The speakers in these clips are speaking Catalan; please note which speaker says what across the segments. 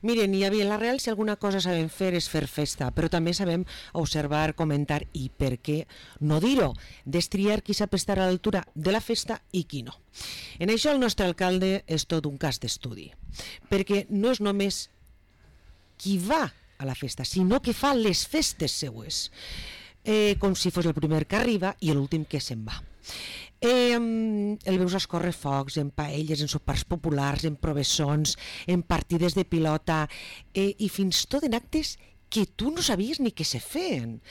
Speaker 1: Miren, i a Vila-real si alguna cosa sabem fer és fer festa, però també sabem observar, comentar i, per què no dir-ho, destriar qui sap estar a l'altura de la festa i qui no. En això el nostre alcalde és tot un cas d'estudi, perquè no és només qui va a la festa, sinó que fa les festes seues, com si fos el primer que arriba i l'últim que se'n va. El veus escórrer focs en paelles, en sopars populars, en provessons, en partides de pilota i fins tot en actes que tu no sabies ni que se feien,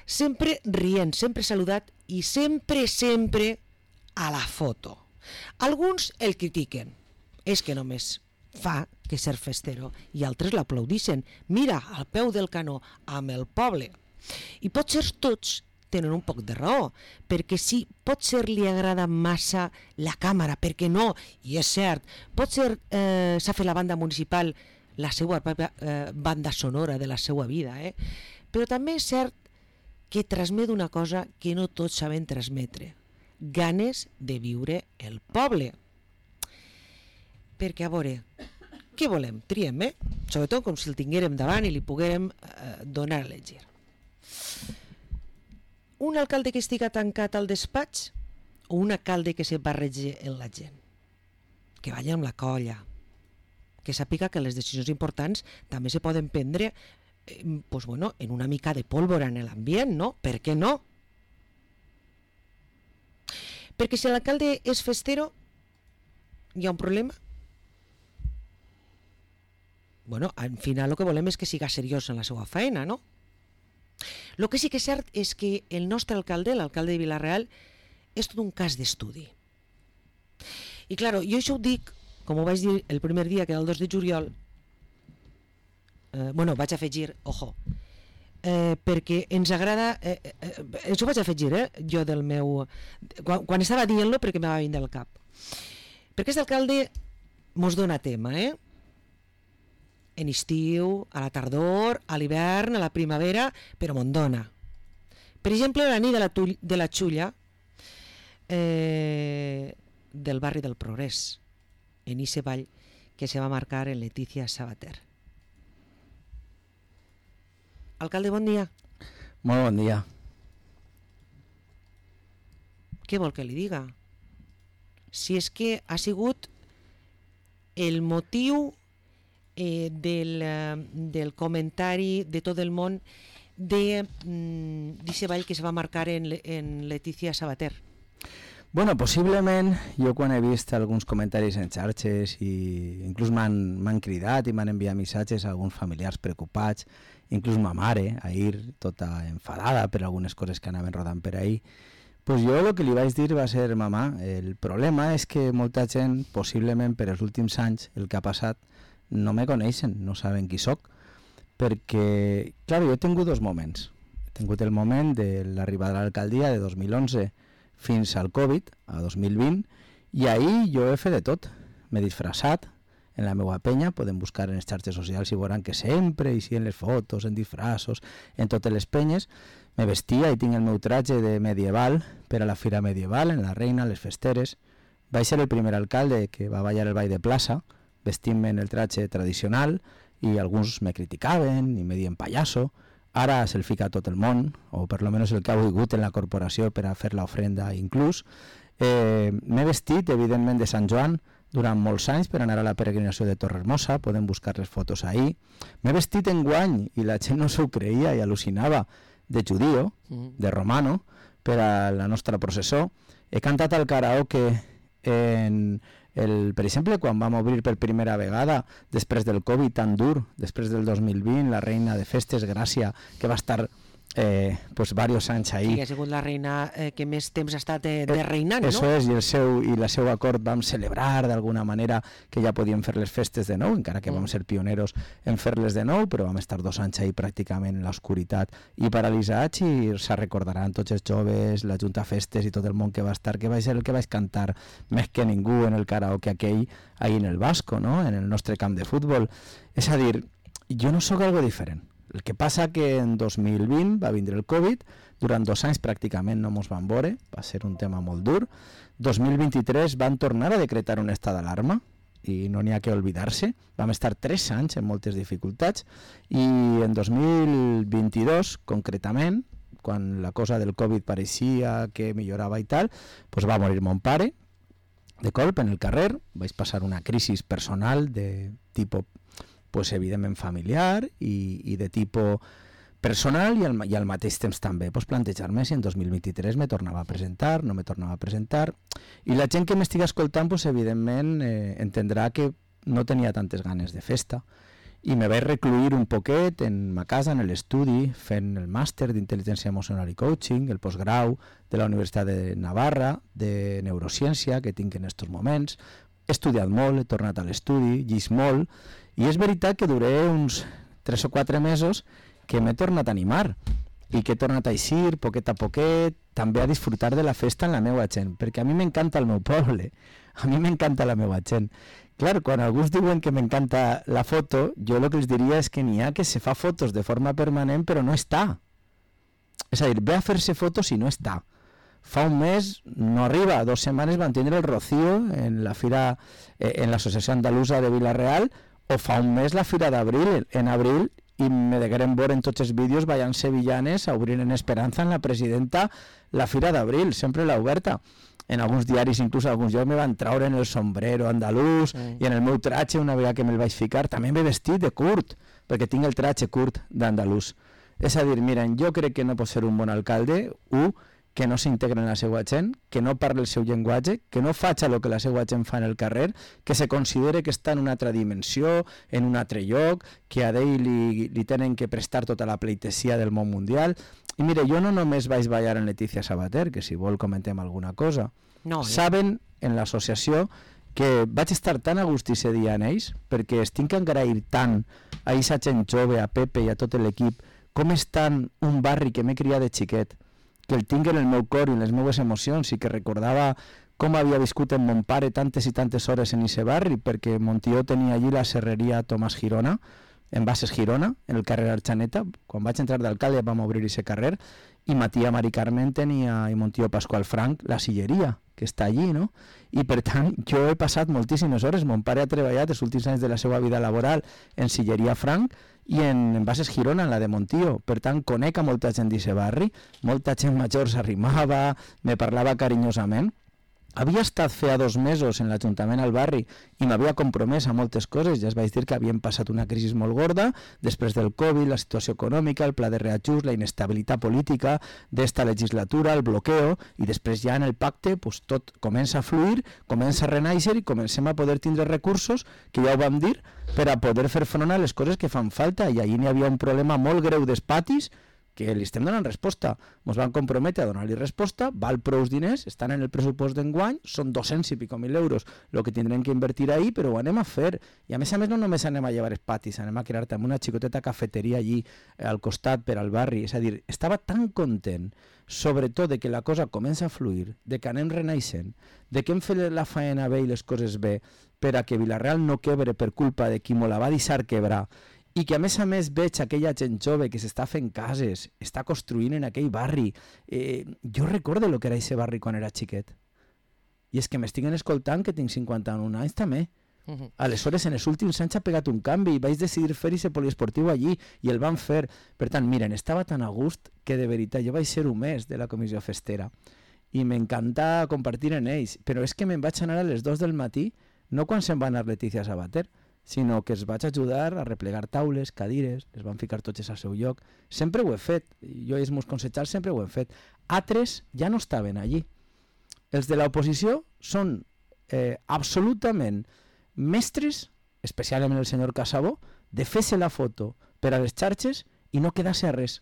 Speaker 1: sempre rient, sempre saludat i sempre a la foto. Alguns el critiquen, és que només fa que ser festero, i altres l'aplaudixen, mira, al peu del canó, amb el poble. I potser tots tenen un poc de raó, perquè sí, potser li agrada massa la càmera, perquè no, i és cert, potser s'ha fet la banda municipal la seva banda sonora de la seva vida, però també és cert que transmet una cosa que no tots saben transmetre, ganes de viure el poble. Perquè, a veure, què volem? Triem, sobretot com si el tinguérem davant i li poguérem donar a elegir. Un alcalde que estiga tancat al despatx o un alcalde que se barregi en la gent? Que vagi amb la colla, que sàpiga que les decisions importants també se poden prendre en una mica de pólvora en l'ambient, no? Per què no? Perquè si l'alcalde és festero, hi ha un problema? Al final el que volem és que siga seriós en la seva feina, no? El que sí que és cert és que el nostre alcalde, l'alcalde de Vila-real, és tot un cas d'estudi. I clar, jo això ho dic, com ho vaig dir el primer dia, que era el 2 de juliol, vaig afegir, ojo, perquè ens agrada, això vaig afegir, jo del meu... Quan estava dient-lo, perquè m'ha vindre al cap. Perquè aquest alcalde mos dona tema, en estiu, a la tardor, a l'hivern, a la primavera, però me'n dona. Per exemple, la nit de la Xulla del barri del Progrés, en ese ball que se va marcar en Letícia Sabater. Alcalde, bon dia.
Speaker 2: Molt bon dia.
Speaker 1: Què vol que li diga? Si és que ha sigut el motiu del comentari de tot el món d'aquest ball que se va marcar en Letícia Sabater.
Speaker 2: Possiblement, jo quan he vist alguns comentaris en xarxes i inclús m'han cridat i m'han enviat missatges a alguns familiars preocupats, inclús ma mare, ahir tota enfadada per algunes coses que anaven rodant per ahir, jo el que li vaig dir va ser, mamà, el problema és que molta gent, possiblement per els últims anys, el que ha passat, no me coneixen, no saben qui soc, perquè, clar, jo he tingut dos moments. He tingut el moment de l'arribada a l'alcaldia de 2011 fins al Covid, a 2020, i ahir jo he fet de tot. M'he disfressat en la meva penya, podem buscar en les xarxes socials i veuran que sempre, i sí en les fotos, en disfressos, en totes les penyes, me vestia i tinc el meu tratge de medieval per a la fira medieval, en la Reina, les festeres. Vaig ser el primer alcalde que va ballar el ball de plaça, vestint-me en el tratge tradicional, i alguns me criticaven i me dien pallasso. Ara se'l fica tot el món, o per lo menos el que ha volgut en la corporació per a fer l'ofrenda inclús. M'he vestit, evidentment, de Sant Joan durant molts anys per anar a la peregrinació de Torrehermosa, podem buscar les fotos ahir. M'he vestit enguany, i la gent no s'ho creia i al·lucinava, de judío, de romano, per a la nostra processó. He cantat al karaoke per exemple, quan vam obrir per primera vegada, després del Covid tan dur, després del 2020, la reina de festes, Gràcia, que va estar diversos anys ahí.
Speaker 1: Sí, ha sigut la reina que més temps ha estat de reinant, no?
Speaker 2: Això és, i el seu acord vam celebrar d'alguna manera que ja podíem fer les festes de nou, encara que vam ser pioneros en fer-les de nou, però vam estar 2 anys ahí pràcticament en l'oscuritat i paralitzats, i se recordaran tots els joves, la Junta Festes i tot el món que va estar, que va ser el que vaig cantar més que ningú en el karaoke aquell ahí en el Vasco, no? En el nostre camp de futbol. És a dir, jo no sóc algo diferent. El que passa que en 2020 va vindre el Covid, durant 2 anys pràcticament no mos van veure, va ser un tema molt dur. 2023 van tornar a decretar un estat d'alarma i no n'hi ha que oblidar-se. Vam estar 3 anys en moltes dificultats i en 2022, concretament, quan la cosa del Covid pareixia que millorava i tal, doncs va morir mon pare de colp en el carrer. Vaig passar una crisi personal de tipus, pues, evidentment familiar i de tipus personal i al mateix temps també pues, plantejar-me si en 2023 me tornava a presentar, no me tornava a presentar. I la gent que m'estiga escoltant, pues, evidentment, entendrà que no tenia tantes ganes de festa i me vaig recluir un poquet en ma casa, en l'estudi, fent el màster d'intel·ligència emocional i coaching, el postgrau de la Universitat de Navarra, de neurociència, que tinc en aquests moments. He estudiat molt, he tornat a l'estudi, llegit molt, i és veritat que duré uns 3 o 4 mesos que m'he tornat a animar i que he tornat a eixir poquet a poquet, també a disfrutar de la festa amb la meva gent, perquè a mi m'encanta el meu poble, a mi m'encanta la meva gent. Clar, quan alguns diuen que m'encanta la foto, jo el que els diria és que n'hi ha que se fa fotos de forma permanent però no està. És a dir, ve a fer-se fotos i no està. Fa un mes, no arriba, 2 setmanes van tindre el Rocío en la fira, en l'Associació Andalusa de Vila-real, o fa un mes la fira d'abril, en abril, i me degueren veure en tots els vídeos ballant sevillanes a obrir en Esperanza en la presidenta la fira d'abril, sempre l'ha oberta. En alguns diaris, inclús alguns llocs, me van traure en el sombrero andalús i en el meu tratge, una vegada que me'l vaig ficar, també m'he vestit de curt, perquè tinc el tratge curt d'andalús. És a dir, miren, jo crec que no pot ser un bon alcalde, que no s'integre en la seva gent, que no parli el seu llenguatge, que no faci el que la seva gent fa en el carrer, que se considere que està en una altra dimensió, en un altre lloc, que a ell li tenen que prestar tota la pleitesia del món mundial. I mire, jo no només vaig ballar en Letícia Sabater, que si vol comentem alguna cosa. No, saben en l'associació que vaig estar tan a gust ese dia en ells, perquè es tinc que agrair tant a aquesta gent jove, a Pepe i a tot l'equip, com estan un barri que m'he criat de xiquet, que el tinc en el meu cor i en les meves emocions i que recordava com havia viscut amb mon pare tantes i tantes hores en aquest barri, perquè mon tio tenia allí la serreria Tomàs Girona, en Bases Girona, en el carrer Arxaneta. Quan vaig entrar d'alcalde vam obrir aquest carrer i ma tia Mari Carmen tenia, i mon tio Pasqual Frank, la silleria, que està allí, no? I per tant, jo he passat moltíssimes hores. Mon pare ha treballat els últims anys de la seva vida laboral en silleria Frank i en Bases Girona, en la de mon tio. Per tant, conec a molta gent d'aquest barri, molta gent major s'arrimava, me parlava carinyosament. Havia estat feia 2 mesos en l'Ajuntament al barri i m'havia compromès a moltes coses. Ja es vaig dir que havíem passat una crisi molt gorda, després del Covid, la situació econòmica, el pla de reajust, la inestabilitat política d'esta legislatura, el bloqueo, i després ja en el pacte pues, tot comença a fluir, comença a renaixer i comencem a poder tindre recursos, que ja ho vam dir, per a poder fer front a les coses que fan falta. I allí n'hi havia un problema molt greu dels patis, que li estem donant resposta. Ens van comprometre a donar-li resposta, val prous diners, estan en el pressupost d'enguany, són 200 i pico mil euros el que tindrem que invertir ahir, però ho anem a fer. I a més no només anem a llevar els patis, anem a crear també una xicoteta cafeteria allí al costat per al barri. És a dir, estava tan content, sobretot de que la cosa comença a fluir, de que anem renaixent, de que hem fet la faena bé i les coses bé, per a que Vila-real no quebre per culpa de qui me la va deixar quebrar, i que a més veig aquella gent jove que s'està fent cases, està construint en aquell barri. Jo recordo el que era aquest barri quan era xiquet. I és que m'estiguen escoltant que tinc 51 anys també. Aleshores, en els últims anys ha pegat un canvi i vaig decidir fer aquest poliesportiu allí i el van fer. Per tant, miren, estava tan a gust que de veritat jo vaig ser un mes de la comissió festera i m'encanta compartir en ells. Però és que me'n vaig anar a les 2 del matí, no quan se'n va anar Letícia Sabater, sinó que els vaig ajudar a replegar taules, cadires, les van ficar totes al seu lloc. Sempre ho he fet, jo i els meus consellers sempre ho hem fet. Altres ja no estaven allí. Els de l'oposició són absolutament mestres, especialment el senyor Casabó, de fer-se la foto per a les xarxes i no quedar-se a res.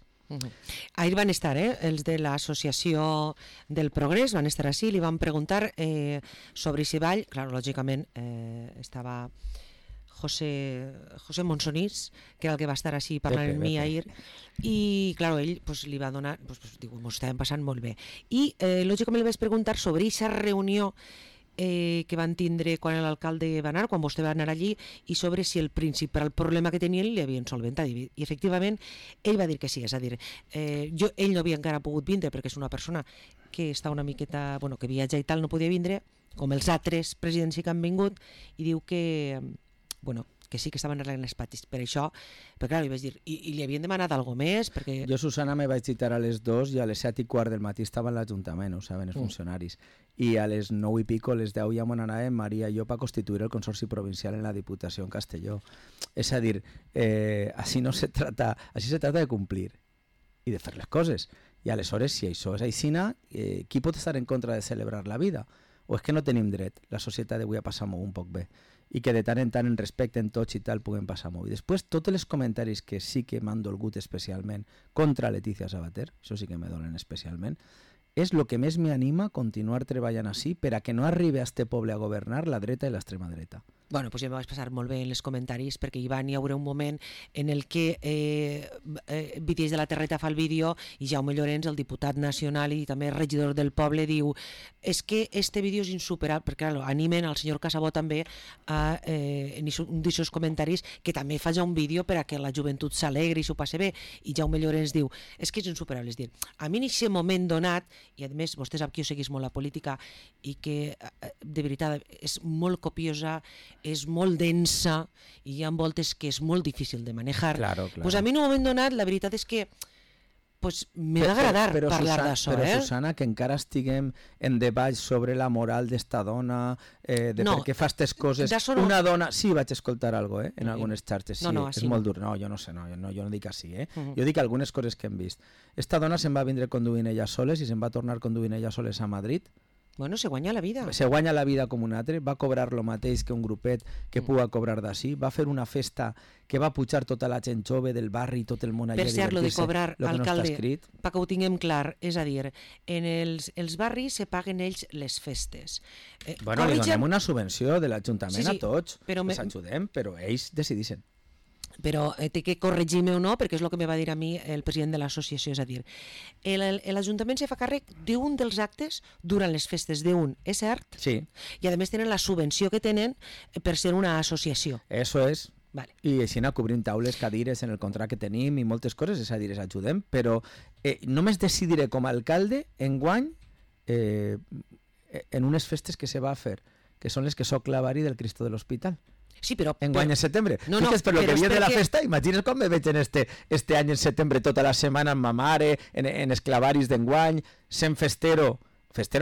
Speaker 1: Ahir van estar els de l'Associació del Progrés, van estar així, li van preguntar sobre si ball. Clar, lògicament estava José Monsonís, que era el que va estar així parlant amb mi ahir, i clar, ell li va donar, diu, m'ho estàvem passant molt bé. I lògicament li vaig preguntar sobre aquesta reunió que van tindre quan l'alcalde va anar, quan vostè va anar allí, i sobre si el principal problema que tenien li havien solventat. I efectivament ell va dir que sí, és a dir, ell no havia encara pogut vindre perquè és una persona que està una miqueta, bueno, que viatja i tal, no podia vindre, com els altres presidents que han vingut, i diu que, bueno, que sí que estaven arreglant els patis. Per això, però clar, li vaig dir, i li havien demanat alguna més? Perquè...
Speaker 2: Jo, Susana, me vaig citar a les 2 i a les 7:15 del matí estava en l'Ajuntament, ho saben els funcionaris. I a les 9 i pico, les 10 ja m'on anàvem Maria i jo per constituir el Consorci Provincial en la Diputació en Castelló. És a dir, així se trata de complir i de fer les coses. I aleshores, si això és aixina, qui pot estar en contra de celebrar la vida? O és que no tenim dret, la societat avui a passar-m'ho un poc bé, i que de tant en tant en respecten tots i tal puguem passar-m'ho. I després, tots els comentaris que sí que m'han dolgut especialment contra Letícia Sabater, això sí que me dolen especialment, és el que més m'anima a continuar treballant així per a que no arribi a este poble a governar la dreta i l'extrema dreta.
Speaker 1: Bueno, pues jo me vaig passar molt bé en els comentaris perquè hi haurà un moment en el que Vitiers de la Terreta fa el vídeo i Jaume Llorenç, el diputat nacional i també regidor del poble, diu és que este vídeo és insuperable, perquè clar, animen al senyor Casabó també en un d'aquests comentaris que també fa ja un vídeo per a que la joventut s'alegri i s'ho passe bé, i Jaume Llorenç diu és que és insuperable, és dir, a mi en aquest moment donat, i a més vostè sap que jo seguís molt la política i que de veritat és molt copiosa, és molt densa i hi ha voltes que és molt difícil de manejar.
Speaker 2: Claro.
Speaker 1: Pues a mi en un moment donat la veritat és que pues, me va agradar parlar d'això.
Speaker 2: Però, Susana, que encara estiguem en debat sobre la moral d'esta dona, de per què fa aquestes coses. Una dona... Sí, vaig escoltar alguna cosa, en algunes xarxes. Sí, és molt dur. No, jo no sé, jo no dic així. Jo dic algunes coses que hem vist. Esta dona se'n va vindre conduint ella soles i se'n va tornar conduint ella soles a Madrid.
Speaker 1: Bueno, se guanya la vida.
Speaker 2: Se guanya la vida com un altre, va cobrar lo mateix que un grupet que puga cobrar d'ací, va fer una festa que va pujar tota la gent jove del barri i tot el món allà
Speaker 1: a divertir-se. Per cert, lo de cobrar, alcalde,
Speaker 2: no
Speaker 1: perquè ho tinguem clar, és a dir, en els barris se paguen ells les festes.
Speaker 2: Bueno, li donem una subvenció de l'Ajuntament a tots, els ajudem, però ells decideixen.
Speaker 1: Però té que corregir-me o no, perquè és el que me va dir a mi el president de l'associació, és a dir, l'Ajuntament se fa càrrec d'un dels actes durant les festes d'un, és cert?
Speaker 2: Sí.
Speaker 1: I a més tenen la subvenció que tenen per ser una associació.
Speaker 2: Eso és.
Speaker 1: Vale.
Speaker 2: I així anar cobrint taules, cadires en el contracte que tenim i moltes coses, és a dir, ajudem, però només decidiré com a alcalde enguany en unes festes que se va a fer, que són les que soc clavari del Cristo de l'Hospital.
Speaker 1: Sí, però...
Speaker 2: Enguany en setembre. No, per lo que viene de la festa, imagines com me veig en este any en setembre tota la setmana amb ma mare, en els clavaris d'enguany, sent festero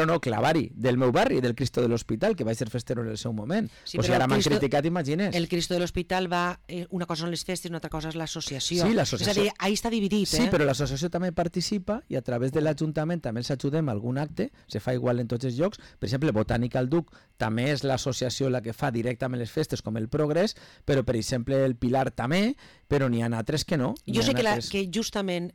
Speaker 2: no, clavari, del meu barri, del Cristo de l'Hospital, que va ser festero en el seu moment. Sí, o sigui, ara m'han criticat, imagines.
Speaker 1: El Cristo de l'Hospital va... una cosa són les festes, una altra cosa és l'associació.
Speaker 2: Sí, l'associació.
Speaker 1: És a dir, ahí està dividit,
Speaker 2: Sí, però l'associació també participa i a través de l'Ajuntament també els ajudem a algun acte, se fa igual en tots els llocs. Per exemple, Botànica al Duc també és l'associació la que fa directament les festes, com el Progrés, però, per exemple, el Pilar també, però n'hi ha altres que no.
Speaker 1: Jo sé que justament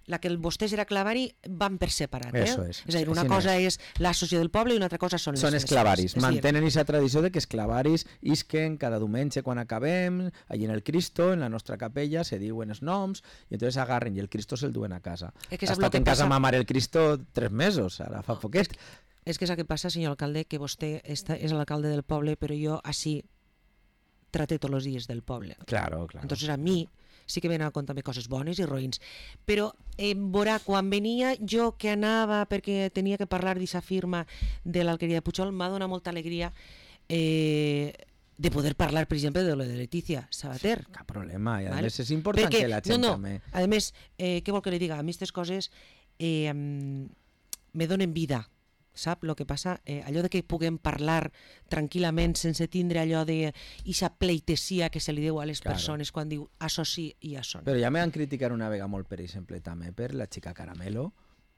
Speaker 1: la que el vostès era clavari van per separat.
Speaker 2: Eso és.
Speaker 1: És a dir, una cosa és l'associació del poble i una altra cosa són les festes.
Speaker 2: Són els clavaris. Mantenen aquesta tradició de que els clavaris isquen cada diumenge quan acabem, allí en el Cristo, en la nostra capella, se diuen els noms, i entonces agarren i el Cristo se'l duen a casa. Ha estat en casa ma mare el Cristo 3 mesos, ara fa poquet.
Speaker 1: És que és el que passa, senyor alcalde, que vostè és l'alcalde del poble, però jo així trate tots els dies del poble.
Speaker 2: Claro.
Speaker 1: Entonces a mi sí que venen a comptar coses bones i roïns, però veurà, quan venia jo que anava perquè tenia que parlar d'aquesta firma de l'alqueria de Puigol, m'ha donat molta alegria de poder parlar, per exemple, de lo de Letícia Sabater.
Speaker 2: Cap problema, i a més és important que la gent també...
Speaker 1: A més, què vol que li diga? A mi aquestes coses me donen vida, sap? El que passa, allò de que puguem parlar tranquil·lament sense tindre allò de ixa pleitesia que se li deu a les persones quan diu això sí i això no.
Speaker 2: Però ja m'han criticat una vegada molt, per exemple, també per la xica Caramelo,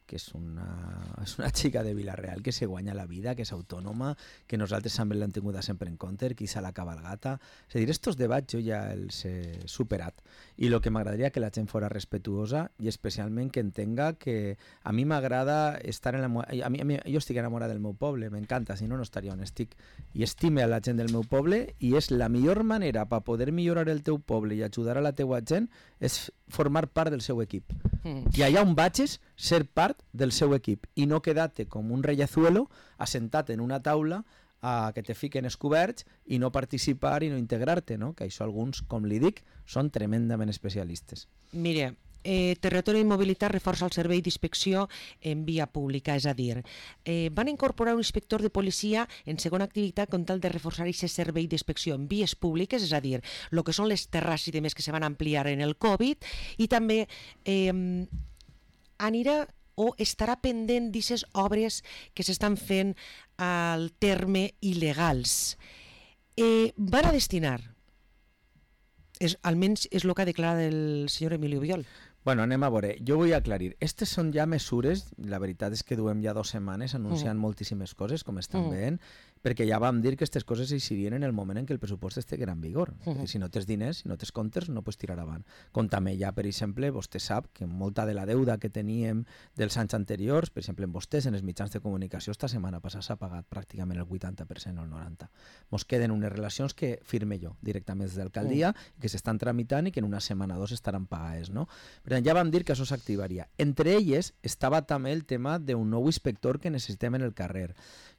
Speaker 2: que és una xica de Vila-real que se guanya la vida, que és autònoma, que nosaltres també l'hem tingut sempre en compte, que és a la cabalgata. És a dir, estos debats jo ja els he superat. I el que m'agradaria que la gent fora respetuosa i especialment que entenga que a mi m'agrada estar en la... Jo estic enamorat del meu poble, m'encanta, si no, no estaria on estic. I estime a la gent del meu poble i és la millor manera per poder millorar el teu poble i ajudar a la teua gent és formar part del seu equip. I allà on vagis, ser part del seu equip i no quedar-te com un rellazuelo assentat en una taula a que te fiquen els coberts i no participar i no integrar-te, no? Que això alguns, com li dic, són tremendament especialistes.
Speaker 1: Mire, Territori i Mobilitat reforça el servei d'inspecció en via pública, és a dir, van incorporar un inspector de policia en segona activitat con tal de reforçar aquest servei d'inspecció en vies públiques, és a dir, el que són les terrasses i demés que se van ampliar en el Covid, i també anirà o estarà pendent d'aquestes obres que s'estan fent al terme il·legals. Van a destinar, almenys és el que ha declarat el senyor Emilio Biol.
Speaker 2: Bueno, anem a veure. Jo vull aclarir. Estes són ja mesures, la veritat és que duem ja 2 setmanes anunciant moltíssimes coses, com estan veient, perquè ja vam dir que aquestes coses eixirien en el moment en què el pressupost estigui en vigor. Si no tens diners, si no tens comptes, no pots tirar avant. Com també ja, per exemple, vostè sap que molta de la deuda que teníem dels anys anteriors, per exemple, en vostès, en els mitjans de comunicació, esta setmana passada s'ha pagat pràcticament el 80% o el 90%. Mos queden unes relacions que firme jo directament des d'alcaldia, que s'estan tramitant i que en una setmana o 2 estaran pagades, no? Per tant, ja vam dir que això s'activaria. Entre elles estava també el tema d'un nou inspector que necessitem en el carrer.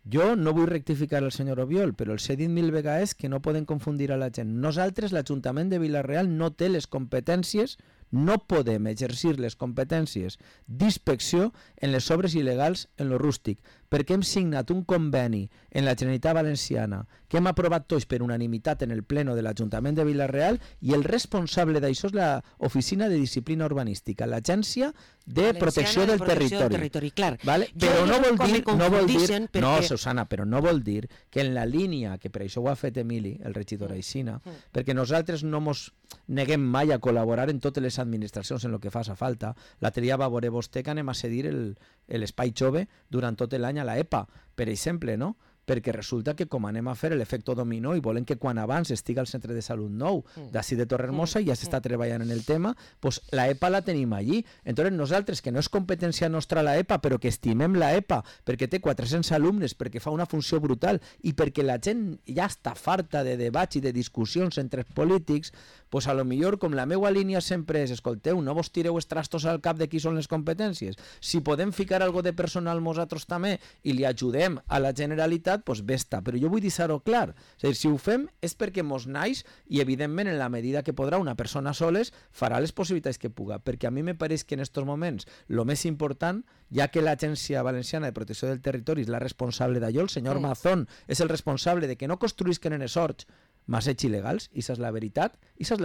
Speaker 2: Jo no vull rectificar el senyor Obiol, però els he dit 1000 vegades que no poden confundir a la gent. Nosaltres, l'Ajuntament de Vila-real, no té les competències, no podem exercir les competències d'inspecció en les obres il·legals en lo rústic, perquè hem signat un conveni en la Generalitat Valenciana que hem aprovat tots per unanimitat en el pleno de l'Ajuntament de Vila-real, i el responsable d'això és l'Oficina de Disciplina Urbanística, l'Agència de Protecció del Territori.
Speaker 1: Clar.
Speaker 2: Vale? Però no vol dir,
Speaker 1: perquè...
Speaker 2: no, Susana, però no vol dir que en la línia, que per això ho ha fet Emili, el regidor Aixina, perquè nosaltres no mos neguem mai a col·laborar en totes les administracions en el que faça falta. L'altre dia va veure vostè que anem a cedir l'espai jove durant tot l'any a la EPA, per exemple, no? Perquè resulta que com anem a fer l'efecte dominó i volem que quan abans estigui al centre de salut nou d'ací de Torrehermosa i ja s'està treballant en el tema, doncs la EPA la tenim allí. Entonces nosaltres, que no és competència nostra la EPA, però que estimem la EPA perquè té 400 alumnes, perquè fa una funció brutal i perquè la gent ja està farta de debats i de discussions entre els polítics, doncs a lo millor, com la meva línia sempre és, escolteu, no vos tireu els trastos al cap de qui són les competències. Si podem ficar algo de personal nosaltres també i li ajudem a la Generalitat, doncs bé està. Però jo vull deixar-ho clar. És a dir, si ho fem és perquè mos naix i, evidentment, en la medida que podrà una persona soles, farà les possibilitats que puga. Perquè a mi me pareix que en aquests moments el més important, ja que l'Agència Valenciana de Protecció del Territori és la responsable d'allò, el senyor Mazón és el responsable de que no construïsquen en els horts masseig il·legals, i això és la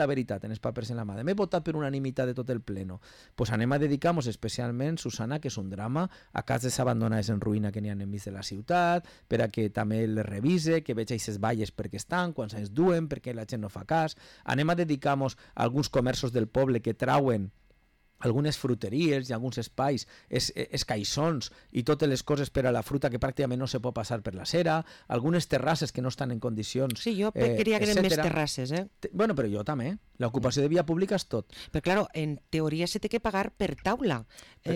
Speaker 2: veritat, en els papers en la mà. M'he votat per unanimitat de tot el pleno. Pues anem a dedicar-nos especialment, Susana, que és un drama, a cases abandonades en ruïna que n'hi ha enmig de la ciutat, per a que també les revise, que veig aquestes valles perquè estan, quants anys duen, perquè la gent no fa cas. Anem a dedicar-nos a alguns comerços del poble que trauen algunes fruteries i alguns espais, escaissons i totes les coses per a la fruta que pràcticament no se pot passar per la cera, algunes terrasses que no estan en condicions,
Speaker 1: Sí, jo queria que eren més terrasses,
Speaker 2: Bueno, però jo també. L'ocupació de via pública és tot.
Speaker 1: Però, claro, en teoria se té que pagar per taula,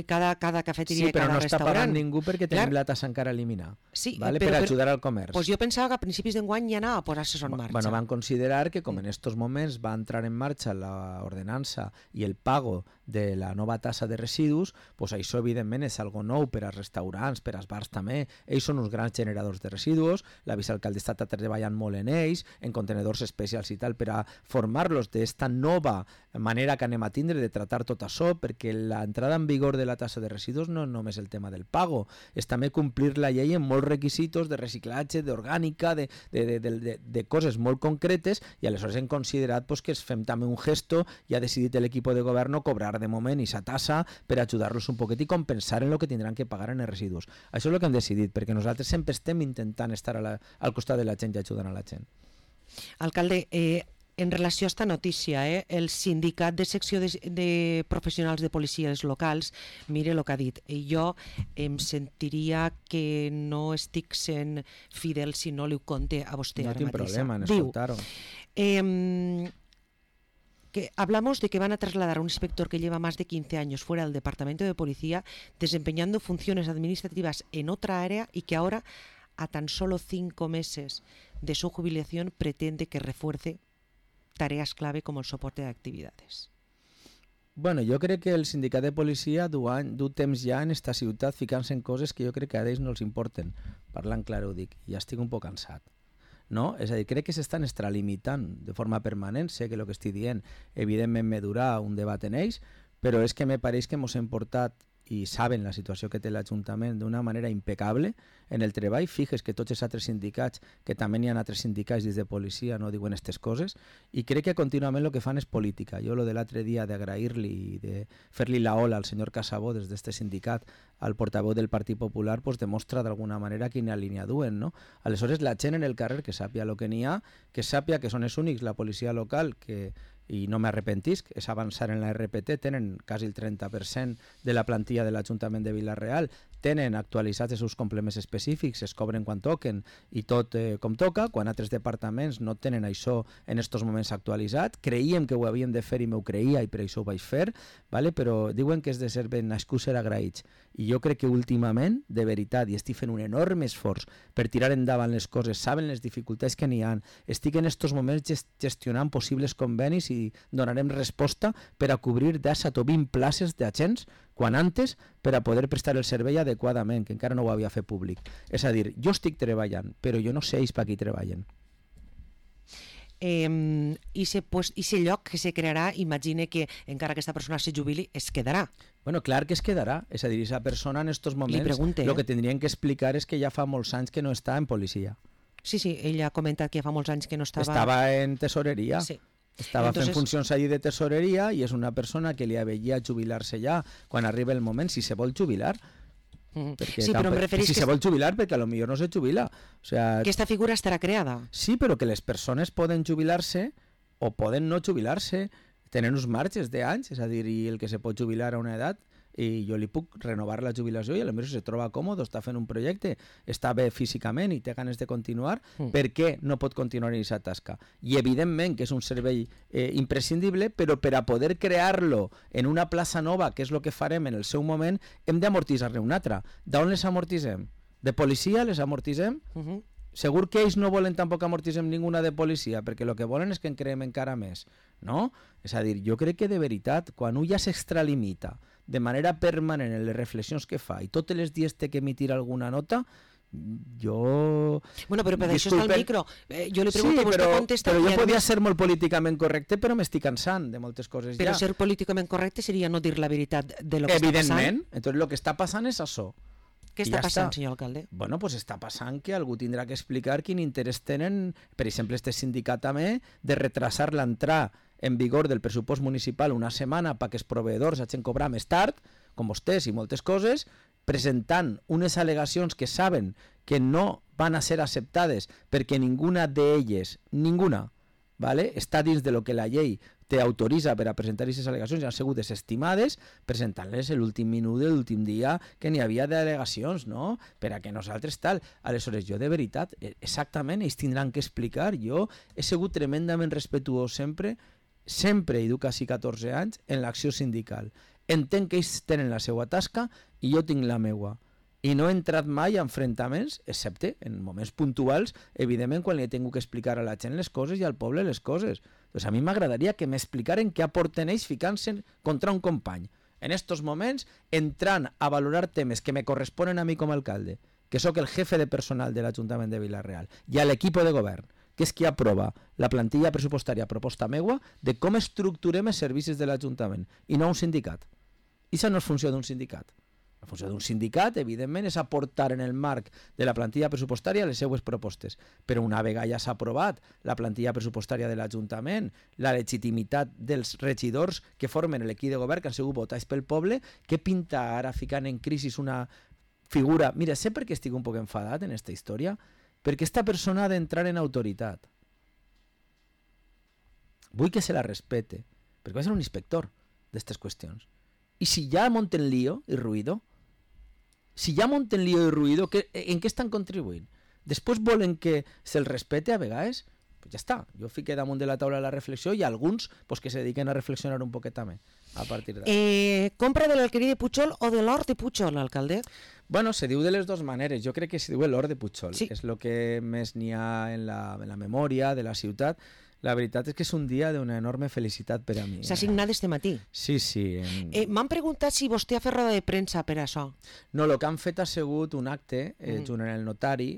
Speaker 1: cada cafeteria
Speaker 2: Sí,
Speaker 1: i cada
Speaker 2: però no està
Speaker 1: restaurant.
Speaker 2: pagant ningú perquè tenim la tassa encara a eliminar.
Speaker 1: Sí,
Speaker 2: ¿vale? Per ajudar al comerç.
Speaker 1: Pues jo pensava que a principis d'enguany ja anava a posar-se en marxa.
Speaker 2: Bueno, van considerar que com en estos moments va entrar en marxa l'ordenança i el pago de la nova tassa de residus, pues això evidentment és algo nou per als restaurants, per als bars també. Ells són uns grans generadors de residus, la vicealcaldessa està treballant molt en ells, en contenedors especials i tal, per a formar-los d'esta nova manera que anem a tindre de tratar tot això, perquè l'entrada en vigor de la tassa de residus no és només el tema del pago, és també complir la llei en molts requisitos de reciclatge, d'orgànica, de coses molt concretes, i aleshores hem considerat pues, que fem també un gesto i ha decidit l'equip de govern cobrar de moment aquesta tassa per ajudar-los un poquet i compensar en el que tindran que pagar en els residus. Això és el que hem decidit, perquè nosaltres sempre estem intentant estar al costat de la gent i ajudant a la gent.
Speaker 1: Alcalde, en relació a esta notícia, el sindicat de secció de professionals de policies locals, mire el que ha dit. Jo em sentiria que no estic sent fidel si no li ho conte a vostè
Speaker 2: no
Speaker 1: ara
Speaker 2: tinc
Speaker 1: mateixa.
Speaker 2: problema en escoltar-ho.
Speaker 1: Que hablamos de que van a trasladar a un inspector que lleva más de 15 años fuera del departamento de policía desempeñando funciones administrativas en otra área y que ahora, a tan solo 5 meses de su jubilación, pretende que refuerce tareas clave como el soporte de actividades.
Speaker 2: Bueno, jo crec que el sindicat de policia du temps ja en esta ciutat ficant-se en coses que jo crec que a ells no els importen. Parlant clar ho dic, ja estic un poc cansat. No? És a dir, crec que s'estan extralimitant de forma permanent, sé que el que estic dient evidentment me durà un debat en ells, però és que me pareix que ens hem portat i saben la situació que té l'Ajuntament d'una manera impecable en el treball. Fixes que tots els altres sindicats, que també n'hi ha altres sindicats dins de policia, no diuen aquestes coses, i crec que contínuament el que fan és política. Jo lo de l'altre dia d'agrair-li i de fer-li la ola al senyor Casabó des d'este sindicat al portaveu del Partit Popular, pues demostra d'alguna manera quina línia duen, no? Aleshores, la gent en el carrer que sàpia el que n'hi ha, que sàpia que són els únics, la policia local, que i no m'arrepentisc, és avançar en la RPT, tenen quasi el 30% de la plantilla de l'Ajuntament de Vila-real, tenen actualitzats els seus complements específics, es cobren quan toquen i tot com toca, quan altres departaments no tenen això en estos moments actualitzat. Creíem que ho havíem de fer i m'ho creia i per això ho vaig fer, vale? Però diuen que és de ser ben nascuts ser agraïts. I jo crec que últimament, de veritat, i estic fent un enorme esforç per tirar endavant les coses, saben les dificultats que n'hi ha, estic en estos moments gestionant possibles convenis i donarem resposta per a cobrir 10 o 20 places d'agents quan antes per a poder prestar el servei adequadament, que encara no ho havia fet públic. És a dir, jo estic treballant, però jo no sé ells per qui treballen.
Speaker 1: I ese lloc que se crearà, imagine que encara aquesta persona se jubili, es quedarà.
Speaker 2: Bueno, clar que es quedarà. És a dir, aquesta persona en estos moments el que tindrien que explicar és que ja fa molts anys que no està en policia.
Speaker 1: Sí, ella ha comentat que fa molts anys que no estava...
Speaker 2: Estava en tesoreria.
Speaker 1: Sí.
Speaker 2: Estava fent funcions allí de tesoreria i és una persona que li aveia jubilar-se ja quan arriba el moment, si se vol jubilar.
Speaker 1: Sí, però em referís
Speaker 2: si se vol jubilar, perquè a lo millor no se jubila. O sea,
Speaker 1: aquesta figura estarà creada.
Speaker 2: Sí, però que les persones poden jubilar-se o poden no jubilar-se, tenen uns marges d'anys, és a dir, i el que se pot jubilar a una edat, i jo li puc renovar la jubilació i potser si se troba còmode, està fent un projecte, està bé físicament i té ganes de continuar, per què no pot continuar en aquesta tasca? I evidentment que és un servei imprescindible, però per a poder crear-lo en una plaça nova, que és el que farem en el seu moment, hem d'amortitzar-ne una altra. D'on les amortitzem? De policia les amortitzem? Segur que ells no volen tampoc amortitzem ninguna de policia, perquè el que volen és que en creem encara més, no? És a dir, jo crec que de veritat, quan un ja s'extralimita de manera permanent en les reflexions que fa i tots els dies té que emitir alguna nota, jo...
Speaker 1: Bueno, però per això està el micro. Jo li pregunto, vostè contesta...
Speaker 2: Però jo podia ser molt políticament correcte, però m'estic cansant de moltes coses ja.
Speaker 1: Però ser políticament correcte seria no dir la veritat de lo que està passant?
Speaker 2: Evidentment. Entonces, lo que està passant és això.
Speaker 1: Què està passant, senyor alcalde?
Speaker 2: Bueno, pues està passant que algú tindrà que explicar quin interès tenen, per exemple, este sindicat també, de retrasar l'entrada en vigor del pressupost municipal una setmana perquè els proveïdors hagin cobrar més tard, com vostès i moltes coses, presentant unes al·legacions que saben que no van a ser acceptades perquè ninguna d'elles, ¿vale? Està dins de lo que la llei te autoritza per a presentar aquestes al·legacions i han sigut desestimades, presentant-les l'últim minut de l'últim dia que n'hi havia d'al·legacions, no? Per a que nosaltres tal. Aleshores, jo de veritat, exactament, ells tindran que explicar. Jo he sigut tremendament respetuós sempre, i duc quasi 14 anys, en l'acció sindical. Entenc que ells tenen la seva tasca i jo tinc la meua. I no he entrat mai a enfrontaments, excepte en moments puntuals, evidentment quan li he tingut que explicar a la gent les coses i al poble les coses. Doncs a mi m'agradaria que m'explicaren què aporten ells ficant-se contra un company. En estos moments, entrant a valorar temes que me corresponen a mi com a alcalde, que sóc el jefe de personal de l'Ajuntament de Vila-real, i a l'equip de govern, que és qui aprova la plantilla pressupostària a proposta meua de com estructurem els servicis de l'Ajuntament, i no un sindicat. I això no és funció d'un sindicat. La funció d'un sindicat, evidentment, és aportar en el marc de la plantilla pressupostària les seues propostes. Però una vegada ja s'ha aprovat la plantilla pressupostària de l'Ajuntament, la legitimitat dels regidors que formen l'equip de govern, que han sigut votats pel poble, què pinta ara ficant en crisi una figura... Mira, sé per què estic un poc enfadat en aquesta història, perquè aquesta persona ha d'entrar en autoritat. Vull que se la respete, perquè va ser un inspector d'aquestes qüestions. I si ja monten lío i ruïdo, en què estan contribuint? Després volen que se'l respete a vegades? Pues ja està, jo fiqué damunt de la taula la reflexió i alguns pues, que se dediquen a reflexionar un poquet també a partir d'ara.
Speaker 1: Compra de l'alqueria de Pujol o de l'or de Pujol, alcalde?
Speaker 2: Bueno, se diu de les dues maneres. Jo crec que se diu l'or de Pujol. Sí. És el que més n'hi ha en la memòria de la ciutat. La veritat és que és un dia d'una enorme felicitat per a mi.
Speaker 1: S'ha signat este matí.
Speaker 2: Sí.
Speaker 1: M'han preguntat si vostè ha fet roda de premsa per això.
Speaker 2: No, el que han fet ha sigut un acte junt amb el notari,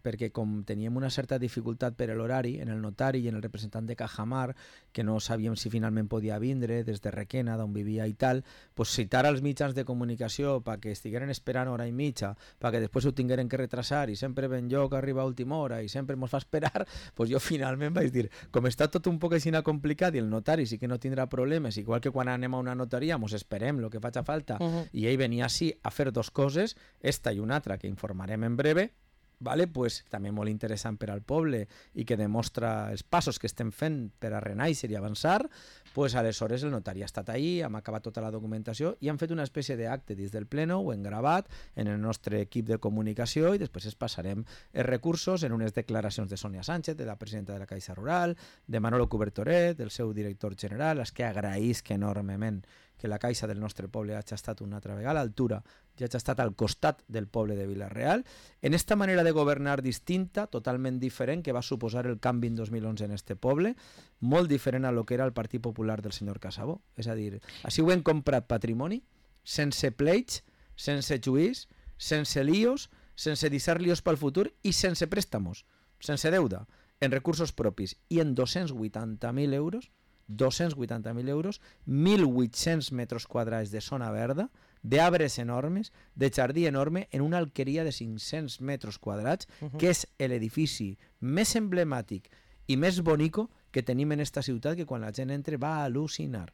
Speaker 2: perquè com teníem una certa dificultat per l'horari, en el notari i en el representant de Cajamar, que no sabíem si finalment podia vindre des de Requena, d'on vivia i tal, pues citar als mitjans de comunicació perquè estigueren esperant hora i mitja, perquè després ho tingueren que retrasar i sempre ben jo que arriba a última hora i sempre mos fa esperar, pues jo finalment vaig dir, com està tot un poc així complicat i el notari sí que no tindrà problemes, igual que quan anem a una notaria mos esperem el que faci falta, i ell venia així a fer dos coses, esta i una altra que informarem en breve, vale? Pues, també molt interessant per al poble i que demostra els passos que estem fent per a renaixer i avançar, pues, aleshores el notari ha estat ahí, hem acabat tota la documentació i han fet una espècie d'acte dins del pleno, ho hem gravat en el nostre equip de comunicació i després es passarem els recursos en unes declaracions de Sònia Sánchez, de la presidenta de la Caixa Rural, de Manolo Cubertoret, del seu director general, als que agraïsc enormement que la Caixa del nostre poble hagi estat una altra vegada a l'altura i hagi estat al costat del poble de Vila-real, en esta manera de governar distinta, totalment diferent, que va suposar el canvi en 2011 en este poble, molt diferent a lo que era el Partit Popular del senyor Casabó. És a dir, així ho hem comprat patrimoni, sense pleits, sense juís, sense líos, sense deixar líos pel futur i sense préstamos, sense deuda, en recursos propis i en 280.000 euros, 280.000 euros, 1.800 metres quadrats de zona verda, d'arbres enormes, de jardí enorme, en una alqueria de 500 metres quadrats, que és l'edifici més emblemàtic i més bonico que tenim en esta ciutat, que quan la gent entra va al·lucinar.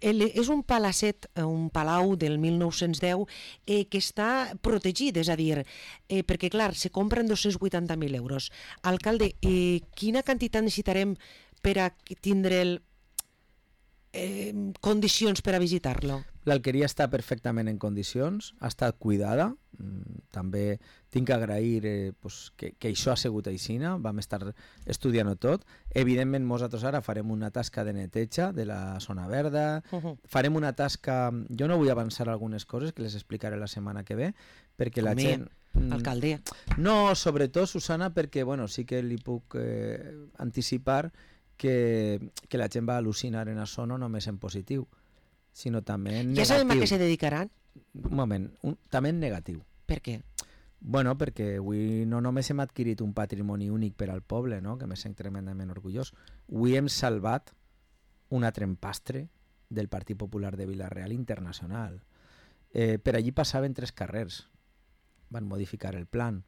Speaker 1: És un palacet, un palau del 1910 que està protegit, és a dir, perquè clar, se compren 280.000 euros. Alcalde, quina quantitat necessitarem per a tindre condicions per a visitar-lo?
Speaker 2: L'alqueria està perfectament en condicions, ha estat cuidada, també tinc que agrair que això ha sigut aixina, vam estar estudiant-ho tot. Evidentment nosaltres ara farem una tasca de neteja de la zona verda, farem una tasca, jo no vull avançar algunes coses que les explicaré la setmana que ve, perquè la gent...
Speaker 1: Alcalde.
Speaker 2: No, sobretot, Susana, perquè bueno, sí que li puc anticipar que la gent va al·lucinar en això no només en positiu, sinó també en negatiu.
Speaker 1: Ja sabem a què se dedicaran?
Speaker 2: Un moment, també en negatiu.
Speaker 1: Per què?
Speaker 2: Bueno, perquè avui no només hem adquirit un patrimoni únic per al poble, no? Que me sent tremendament orgullós. Avui hem salvat un altre empastre del Partit Popular de Vila-real internacional. Per allí passaven 3 carrers. Van modificar el plan.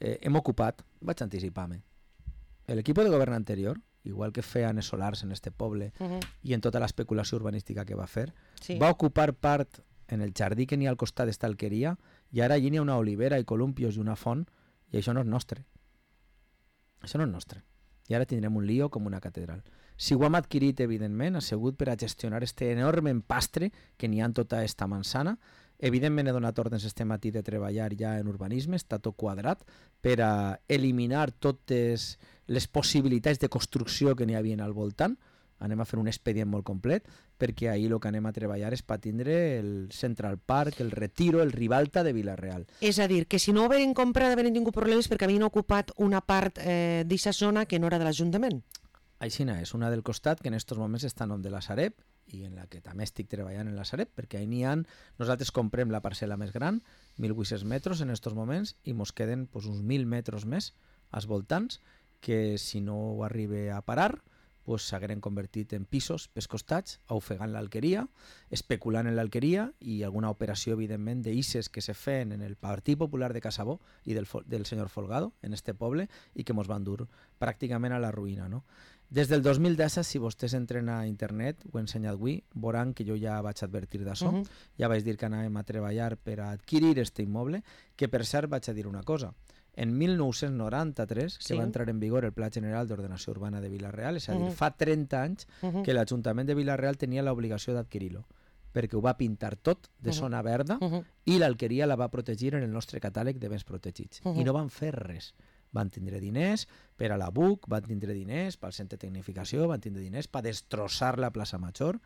Speaker 2: Hem ocupat, vaig anticipar-me, l'equip de govern anterior, igual que feien els solars en este poble i en tota l'especulació urbanística que va fer, va ocupar part en el jardí que n'hi ha al costat d'esta alqueria i ara allí n'hi ha una olivera i columpios i una font i això no és nostre. Això no és nostre. I ara tindrem un lío com una catedral. Si ho hem adquirit, evidentment, ha sigut per a gestionar este enorme empastre que n'hi ha en tota esta manzana. Evidentment he donat ordres este matí de treballar ja en urbanisme, està tot quadrat, per a eliminar totes les possibilitats de construcció que n'hi havia al voltant. Anem a fer un expedient molt complet, perquè ahir el que anem a treballar és per tindre el Central Park, el Retiro, el Ribalta de Vila-real.
Speaker 1: És a dir, que si no ho havien comprat havien tingut problemes perquè havien ocupat una part d'aquesta zona que no era de l'Ajuntament.
Speaker 2: Aixina és, una del costat que en aquests moments està en nom de la Sareb i en la que també estic treballant en la Sareb, perquè ahí n'hi ha, nosaltres comprem la parcel·la més gran, 1.800 metres en aquests moments, i mos queden uns 1.000 metres més als voltants, que si no ho arriba a parar, s'hagueren convertit en pisos pels costats, ofegant l'alqueria, especulant en l'alqueria i alguna operació, evidentment, d'isses que se feien en el Partit Popular de Casabó i del senyor Folgado, en este poble, i que mos van dur pràcticament a la ruïna, no? Des del 2010, si vostès entren a internet, ho he ensenyat avui, veuran que jo ja vaig advertir d'això, ja vaig dir que anàvem a treballar per a adquirir este immoble, que per cert vaig a dir una cosa. En 1993, que va entrar en vigor el Pla General d'Ordenació Urbana de Vila-real, és a dir, fa 30 anys que l'Ajuntament de Vila-real tenia l'obligació d'adquirir-lo, perquè ho va pintar tot de zona verda i l'alqueria la va protegir en el nostre catàleg de béns protegits. I no van fer res. Van tindre diners per a la BUC, van tindre diners pel centre de tecnificació, van tindre diners per destrossar la plaça Major.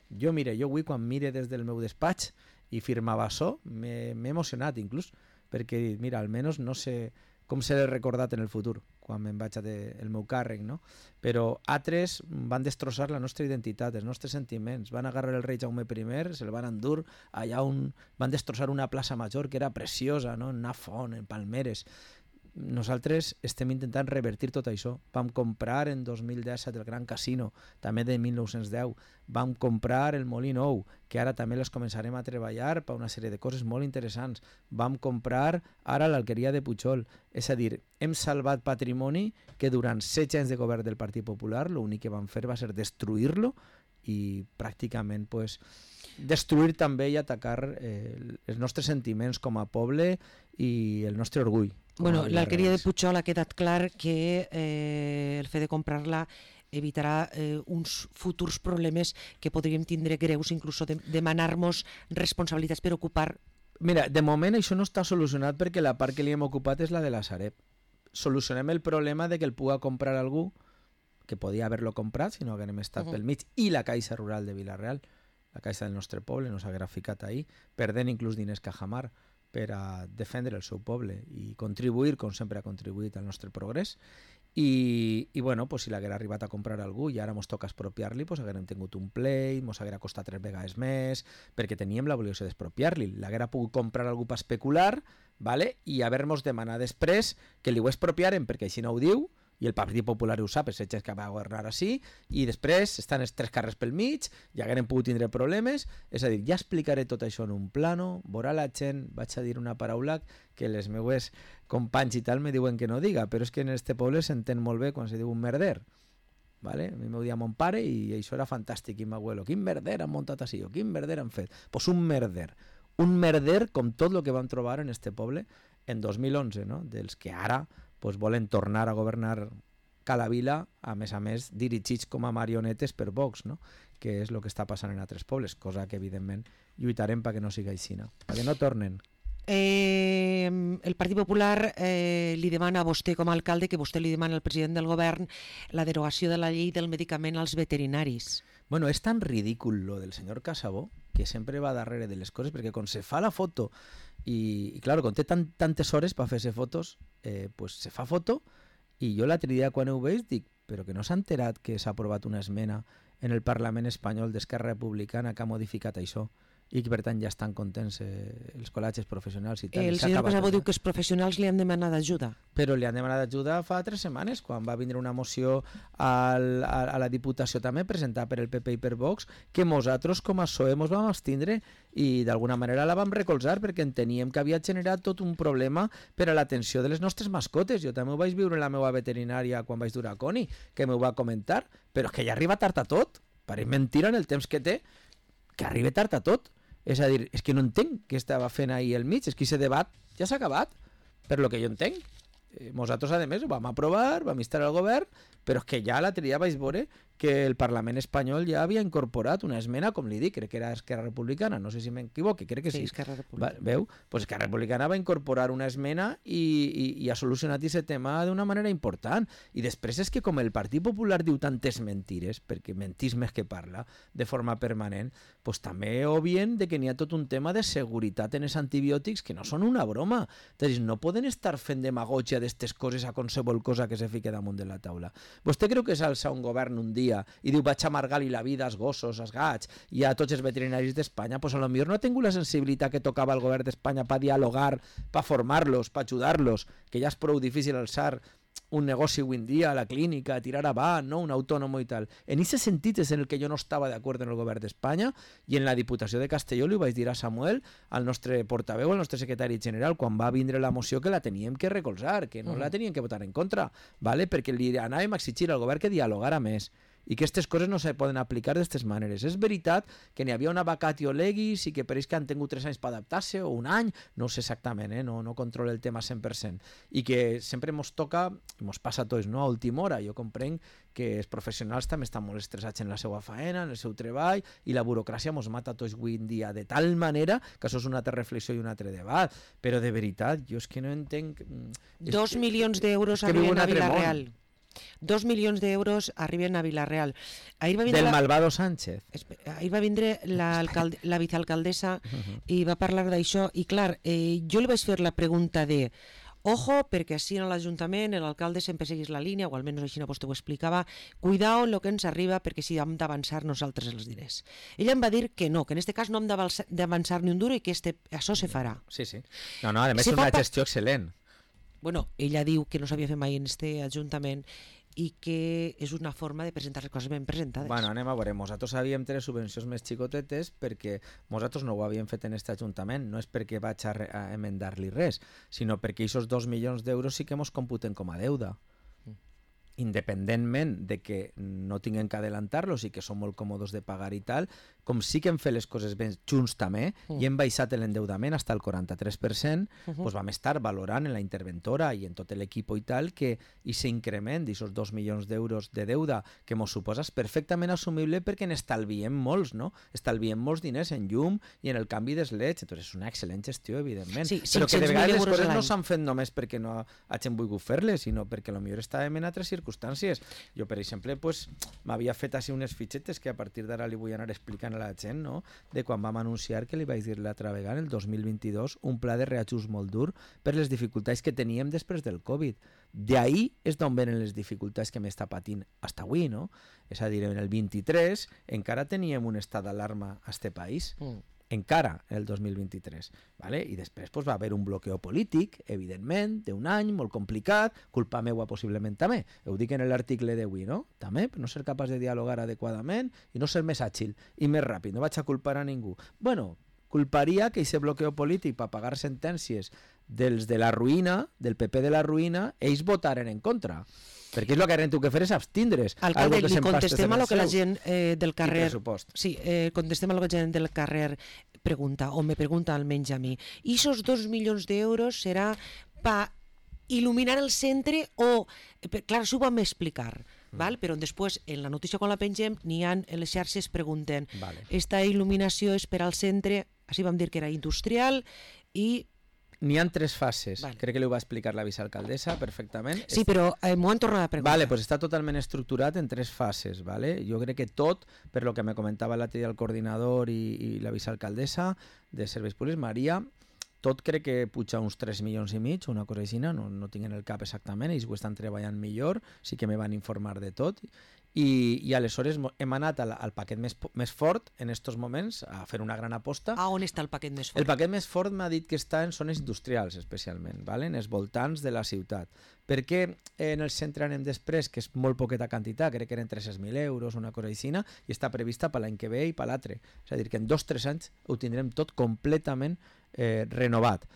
Speaker 2: Jo avui quan mire des del meu despatx i firmava això, m'he emocionat inclús, perquè, mira, almenys no sé com seré recordat en el futur, quan me'n vaig el meu càrrec, no? Però altres van destrossar la nostra identitat, els nostres sentiments, van agarrar el rei Jaume I, se'l van endur allà on van destrossar una plaça Major que era preciosa, no? En una font, en palmeres. nosaltres estem intentant revertir tot això. Vam comprar en 2017 el Gran Casino, també de 1910. Vam comprar el Molí Nou, que ara també les començarem a treballar per una sèrie de coses molt interessants. Vam comprar ara l'Alqueria de Pujol. És a dir, hem salvat patrimoni que durant 16 anys de govern del Partit Popular l'únic que van fer va ser destruir-lo i pràcticament destruir també i atacar els nostres sentiments com a poble i el nostre orgull.
Speaker 1: Bueno, l'Alqueria de Pujol ha quedat clar que el fet de comprar-la evitarà uns futurs problemes que podríem tindre greus, inclús demanar-nos responsabilitats per ocupar.
Speaker 2: Mira, de moment això no està solucionat perquè la part que li hem ocupat és la de la Sareb. Solucionem el problema de que el puga comprar algú que podia haver-lo comprat si no haguem estat pel mig, i la Caixa Rural de Vila-real, la Caixa del nostre poble, no s'haguera ficat ahí, perdent inclús diners Cajamar per a defendre el seu poble i contribuir, com sempre ha contribuït, al nostre progrés. I bueno, si l'haguera arribat a comprar algú i ara mos toca expropiar-li, haguérem tingut un play, mos haguera costat 3 vegades més, perquè teníem l'obligació d'expropiar-li. L'haguera pogut comprar algú per especular, vale? I haver-nos demanat després que li ho expropiaren, perquè així no ho diu, i el Partit Popular ho sap, és que va governar així, i després estan els 3 carrers pel mig, ja hagueren pogut tindre problemes. És a dir, ja explicaré tot això en un plano, veurà la gent, vaig a dir una paraula que les meues companys i tal me diuen que no diga, però és que en este poble s'entén molt bé quan se diu un merder. Vale? A mi m'ho dia mon pare i això era fantàstic, i m'abuelo, quin merder han muntat així, o quin merder han fet. Pues un merder com tot el que vam trobar en este poble en 2011, no? Dels que ara volen tornar a governar Cala Vila, a més, dirigits com a marionetes per Vox, no? Que és el que està passant en altres pobles, cosa que evidentment lluitarem perquè no sigui així, perquè no tornen.
Speaker 1: El Partit Popular li demana a vostè com a alcalde, que vostè li demana al president del govern, la derogació de la llei del medicament als veterinaris.
Speaker 2: Bueno, és tan ridícul lo del senyor Casabó, que sempre va darrere de les coses, perquè quan se fa la foto i claro, quan té tantes hores per fer-se fotos, se fa foto, i jo l'altre dia quan ho veig dic, però que no s'ha enterat que s'ha aprovat una esmena en el Parlament espanyol d'Esquerra Republicana que ha modificat això, i que per tant ja estan contents els col·legis professionals i tal.
Speaker 1: El senyor Casabó diu que els professionals li han demanat ajuda.
Speaker 2: Però li han demanat ajuda fa 3 setmanes, quan va vindre una moció a la Diputació també presentada per el PP i per Vox, que nosaltres com a PSOE ens vam abstindre i d'alguna manera la vam recolzar perquè enteníem que havia generat tot un problema per a l'atenció de les nostres mascotes. Jo també ho vaig viure en la meva veterinària quan vaig dur a Coni, que m'ho va comentar, però és que ja arriba tard a tot. Pareix mentira en el temps que té, que arriba tard a tot. És a dir, és que no entenc què estava fent ahir al mig, és que aquest debat ja s'ha acabat, per lo que jo entenc. Nosaltres, a més, ho vam aprovar, vam instar al govern, però és que ja l'altre dia vaig veure que el Parlament espanyol ja havia incorporat una esmena, com li dic, crec que era Esquerra Republicana, no sé si m'equivoque, crec que sí.
Speaker 1: Esquerra Republicana.
Speaker 2: Veu? Pues Esquerra Republicana va incorporar una esmena i ha solucionat aquest tema d'una manera important. I després és que com el Partit Popular diu tantes mentires, perquè mentís més que parla, de forma permanent, pues també obvien de que n'hi ha tot un tema de seguretat en els antibiòtics que no són una broma. És a dir, no poden estar fent demagògia d'estes coses a qualsevol cosa que se fique damunt de la taula. Vostè creu que s'alça un govern un dia i diu vaig amargar-li la vida als gossos, als gats i a tots els veterinaris d'Espanya? Pues a lo millor no ha tingut la sensibilitat que tocava el govern d'Espanya per dialogar, per formar-los, per ajudar-los, que ja és prou difícil alçar un negoci avui en dia, a la clínica, tirar avant, no? Un autònom i tal. En aquest sentit és en el que jo no estava d'acord en el govern d'Espanya, i en la Diputació de Castelló li vaig dir a Samuel, al nostre portaveu, al nostre secretari general, quan va vindre la moció, que la teníem que recolzar, que no la teníem que votar en contra, ¿vale? Perquè li anàvem a exigir al govern que dialogara més, i que aquestes coses no se poden aplicar d'aquestes maneres. És veritat que n'hi havia una vacatio legis i que pareix que han tingut 3 anys per adaptar-se, o un any, no sé exactament, no controlo el tema 100%, i que sempre ens toca, ens passa a tots, no? A última hora. Jo comprenc que els professionals també estan molt estressats en la seva faena, en el seu treball, i la burocràcia ens mata a tots avui en dia de tal manera que això és una altra reflexió i un altre debat. Però de veritat, jo és que no entenc...
Speaker 1: 2 milions d'euros arriben a Vila-real. 2 milions d'euros arriben a Vila-real.
Speaker 2: Del malvado Sánchez.
Speaker 1: Ahir va vindre la vicealcaldessa i va parlar d'això, i clar, jo li vaig fer la pregunta de ojo, perquè així en l'Ajuntament l'alcalde sempre seguís la línia, o almenys així vostè ho explicava, cuidao en el que ens arriba perquè si hem d'avançar nosaltres els diners. Ella em va dir que no, que en aquest cas no hem d'avançar ni un duro i que això se farà.
Speaker 2: Sí. No, a més és una gestió excel·lent.
Speaker 1: Bueno, ella diu que no s'havia fet mai en este Ajuntament i que és una forma de presentar les coses ben presentades.
Speaker 2: Bueno, anem a veure, nosaltres havíem tres subvencions més xicotetes perquè nosaltres no ho havíem fet en aquest Ajuntament, no és perquè vaig a emendar-li res, sinó perquè aquests 2 milions d'euros sí que mos computen com a deuda. Independentment de que no tinguem que adelantar-los i que són molt còmodes de pagar i tal, com sí que hem fet les coses ben junts també i hem baixat l'endeudament fins al 43%, doncs vam estar valorant en la interventora i en tot l'equip i tal que aquest increment d'aquests 2 milions d'euros de deuda que ens suposa és perfectament assumible perquè n'estalviem molts, no? Estalviem molts diners en llum i en el canvi d'esleds, doncs és una excel·lent gestió, evidentment.
Speaker 1: Sí,
Speaker 2: però que de vegades les coses no
Speaker 1: s'han
Speaker 2: fet només perquè no hagin volgut fer-les, sinó perquè potser estàvem en altres circumstàncies. Jo, per exemple, pues, m'havia fet així unes fitxetes que a partir d'ara li vull anar explicant a la gent, no? De quan vam anunciar que li vaig dir l'altra vegada, el 2022, un pla de reajust molt dur per les dificultats que teníem després del Covid. D'ahí és d'on venen les dificultats que m'està patint fins avui, no? És a dir, en el 23 encara teníem un estat d'alarma a este país. Encara el 2023, ¿vale? I després pues, va haver un bloqueo polític, evidentment, d'un any, molt complicat, culpa meua possiblement també, ho dic en l'article d'avui, no? També, per no ser capaç de dialogar adequadament i no ser més àgil i més ràpid, no vaig a culpar a ningú. Bueno, culparia que aquest bloqueo polític per pagar sentències dels de la ruïna, del PP de la ruïna, ells votaren en contra. Perquè és el que hem que fer és abstindre's.
Speaker 1: Alcalde, li contestem a lo que la gent del carrer...
Speaker 2: Sí,
Speaker 1: contestem a lo que la gent del carrer pregunta, o me pregunta almenys a mi. I esos 2 milions d'euros serà per il·luminar el centre o... Clar, això ho vam explicar, val? Però després, en la notícia quan la pengem, n'hi ha en les xarxes pregunten esta il·luminació és per al centre, així vam dir que era industrial i...
Speaker 2: N'hi ha 3 fases. Crec que li ho va explicar la vicealcaldessa perfectament.
Speaker 1: Sí, però m'ho han tornat a preguntar.
Speaker 2: Vale, pues està totalment estructurat en 3 fases. Vale? Jo crec que tot, per lo que me comentava l'altre dia el coordinador i la vicealcaldessa de Serveis Públics, Maria, tot crec que puja uns 3 milions i mig, una cosa així, no tinc en el cap exactament, ells ho estan treballant millor, sí que me van informar de tot. I aleshores hem anat al paquet més fort en aquests moments a fer una gran aposta.
Speaker 1: A on està el paquet més fort?
Speaker 2: El paquet més fort m'ha dit que està en zones industrials especialment, ¿vale? En els voltants de la ciutat. Perquè en el centre anem després, que és molt poqueta quantitat, crec que eren 300.000 euros, una cosa així, i està prevista per l'any que ve i per l'altre. És a dir, que en 2-3 anys ho tindrem tot completament renovat.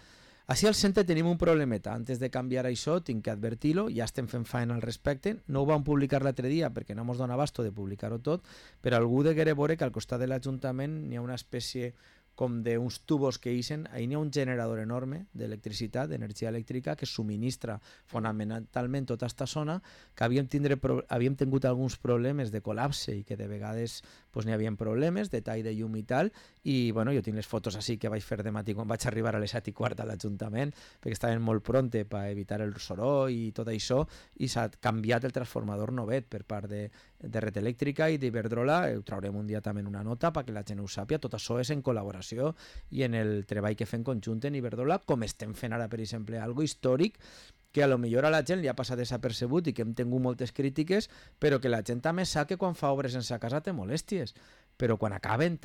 Speaker 2: Així al centre tenim un problemeta. Antes de canviar això, tinc que advertir-lo, ja estem fent feina al respecte. No ho vam publicar l'altre dia perquè no ens dona abasto de publicar-ho tot, però algú degué veure que al costat de l'Ajuntament n'hi ha una espècie com d'uns tubos que ixen, ahí n'hi ha un generador enorme d'electricitat, d'energia elèctrica, que subministra fonamentalment tota aquesta zona, que havíem tingut alguns problemes de col·lapse i que de vegades pues, n'hi havia problemes de tall de llum i tal, i bueno, jo tinc les fotos així que vaig fer de matí quan vaig arribar a les 7:15 a l'Ajuntament, perquè estaven molt pronte per evitar el soroll i tot això, i s'ha canviat el transformador novet per part de Red Elèctrica i d'Iberdrola. Ho traurem un dia també en una nota perquè la gent ho sàpia. Tot això és en col·laboració i en el treball que fem conjunt en Iberdrola, com estem fent ara, per exemple, algo històric que a lo millor a la gent li ha passat desapercebut i que hem tingut moltes crítiques, però que la gent també sap que quan fa obres en sa casa té molèsties, però quan acaben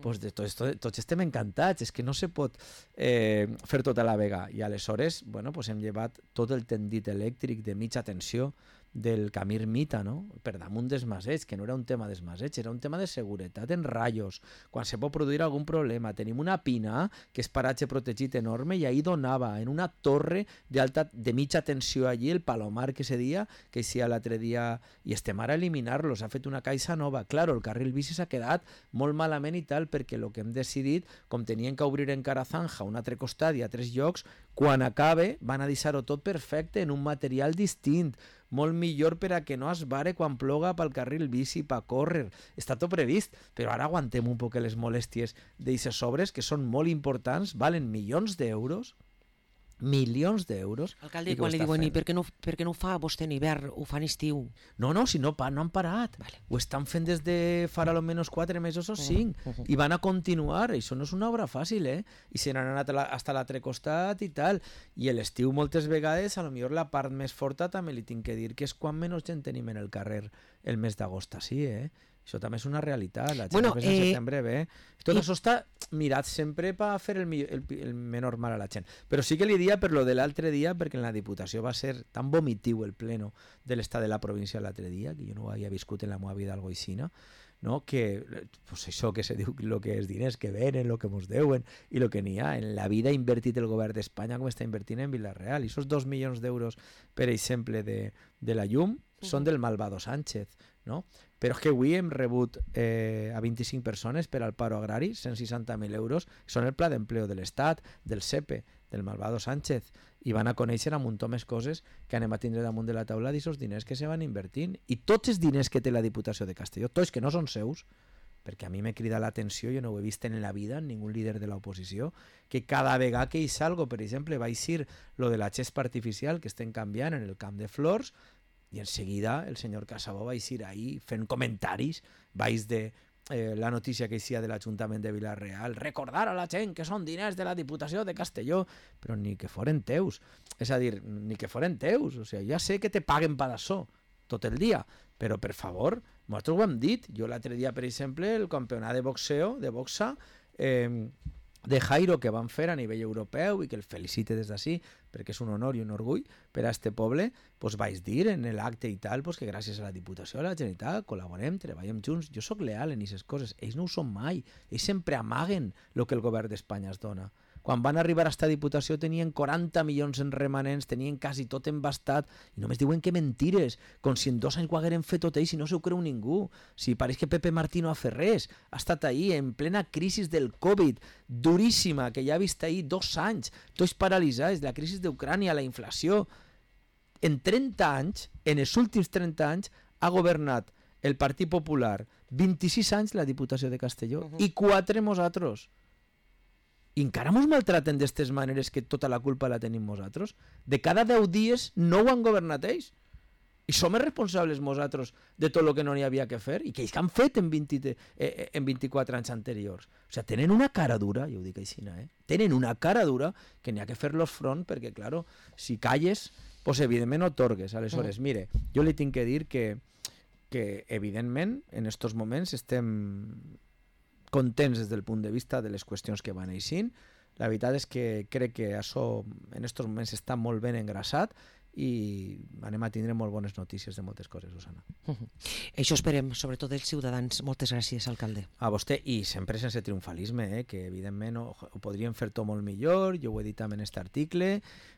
Speaker 2: pues tots estem encantats, és que no se pot fer tot a la vega, i aleshores bueno, pues hem llevat tot el tendit elèctric de mitja tensió del camí Ermita, no? Per damunt dels masets, que no era un tema dels masets, era un tema de seguretat en ratllos, quan se pot produir algun problema. Tenim una pina, que és paratge protegit enorme, i ahí donava en una torre de mitja tensió allí, el Palomar que se dia, que eixia l'altre dia, i estem ara a eliminar-lo, s'ha fet una caixa nova. Claro, el carril bici s'ha quedat molt malament i tal, perquè el que hem decidit, com tenien que obrir encara Zanja, un altre costat i a 3 llocs, quan acabe van a deixar-ho tot perfecte en un material distint, molt millor per a que no es vare quan ploga pel carril bici, per córrer. Està tot previst, però ara aguantem un poc les molèsties d'eixes obres que són molt importants, valen milions d'euros,
Speaker 1: Alcalde, quan li diuen, i per què no ho fa vostè en hivern, ho fa en estiu?
Speaker 2: No, si no han parat. Vale. Ho estan fent des de fa almenys 4 mesos o 5 i van a continuar. Això no és una obra fàcil, I se n'han anat fins a l'altre costat i tal. I a l'estiu moltes vegades, a lo millor la part més forta també li tinc que dir que és quan menys gent tenim en el carrer el mes d'agost, sí, Això també és una realitat. La gent
Speaker 1: Bueno,
Speaker 2: en setembre ve. Tot això està mirat sempre per fer el menor mal a la gent. Però sí que li dia per lo de l'altre dia, perquè en la Diputació va ser tan vomitiu el pleno de l'estat de la província l'altre dia, que jo no ho havia viscut en la meva vida algo així, no? Que pues això que se diu el que és diners que venen, el que mos deuen i el que n'hi ha. En la vida ha invertit el govern d'Espanya com està invertint en Vila-real. I aquests 2 milions d'euros, per exemple, de la llum, són del malvado Sánchez, no? Però és que avui hem rebut a 25 persones per al paro agrari, 160.000 euros, són el pla d'empleo de l'Estat, del SEPE, del malvado Sánchez, i van a conèixer un muntó més coses que anem a tindre damunt de la taula d'aquests diners que se van invertint. I tots els diners que té la Diputació de Castelló, tots que no són seus, perquè a mi m'he cridat l'atenció, jo no ho he vist en la vida en ningú líder de l'oposició, que cada vegada que hi salgo, per exemple, va eixir lo de la xespa artificial que estem canviant en el Camp de Flors, i en seguida el senyor Casabó va eixir ahí fent comentaris baix de la notícia que eixia de l'Ajuntament de Vila-real, recordar a la gent que són diners de la Diputació de Castelló, però ni que foren teus, és a dir, ni que foren teus, o sigui, ja sé que te paguen per això tot el dia, però per favor, nosaltres ho hem dit, jo l'altre dia, per exemple, el campionat de boxeo, de boxa, de Jairo que van fer a nivell europeu i que el felicite des d'ací perquè és un honor i un orgull per a este poble, pues vaig dir en l'acte i tal pues que gràcies a la Diputació, a la Generalitat, col·laborem, treballem junts. Jo sóc leal en aquestes coses, ells no ho són mai, ells sempre amaguen el que el govern d'Espanya es dona. Quan van arribar a esta Diputació tenien 40 milions en remanents, tenien quasi tot embastat i només diuen que mentires, com si en 2 anys ho hagueren fet tot ells i no s'ho creu ningú. Si pareix que Pepe Martí no ha fet res, ha estat ahí en plena crisi del Covid, duríssima, que ja ha vist ahí 2 anys, tots paralitzats, la crisi d'Ucrània, la inflació. En 30 anys, en els últims 30 anys, ha governat el Partit Popular 26 anys la Diputació de Castelló i 4 nosaltres. I encara mos maltraten d'aquestes maneres que tota la culpa la tenim nosaltres. De cada 10 dies no ho han governat ells. I som els responsables nosaltres de tot el que no n'hi havia que fer i que ells han fet en 24 anys anteriors. O sigui, tenen una cara dura, jo ho dic així, tenen una cara dura que n'hi ha que fer-los front perquè, claro, si calles, pues evidentment otorgues. Aleshores, mire, jo li tinc que dir que evidentment en estos moments estem contents des del punt de vista de les qüestions que van eixint. La veritat és que crec que això en estos moments està molt ben engrasat i anem a tindre molt bones notícies de moltes coses, Susana.
Speaker 1: Això esperem, sobretot dels ciutadans. Moltes gràcies, alcalde.
Speaker 2: A vostè, i sempre sense triomfalisme, que evidentment ho podríem fer tot molt millor, jo ho he dit també en aquest article,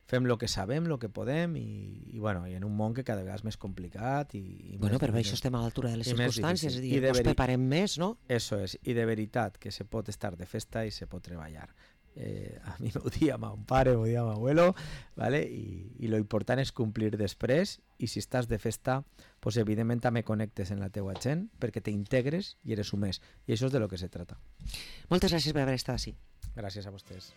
Speaker 2: fem el que sabem, el que podem, i en un món que cada vegada és més complicat.
Speaker 1: Bueno, però això estem a l'altura de les circumstàncies, és a dir, ens preparem més, no?
Speaker 2: Eso és, i de veritat que se pot estar de festa i se pot treballar. A mi m'ho dia mon pare, m'ho dia mon abuelo, ¿vale? I lo important és complir després, i si estàs de festa, pues evidentment també connectes en la teua gent perquè t'integres i eres humès, i això és de lo que se trata.
Speaker 1: Moltes gràcies per haver estat així.
Speaker 2: Gràcies a vostès.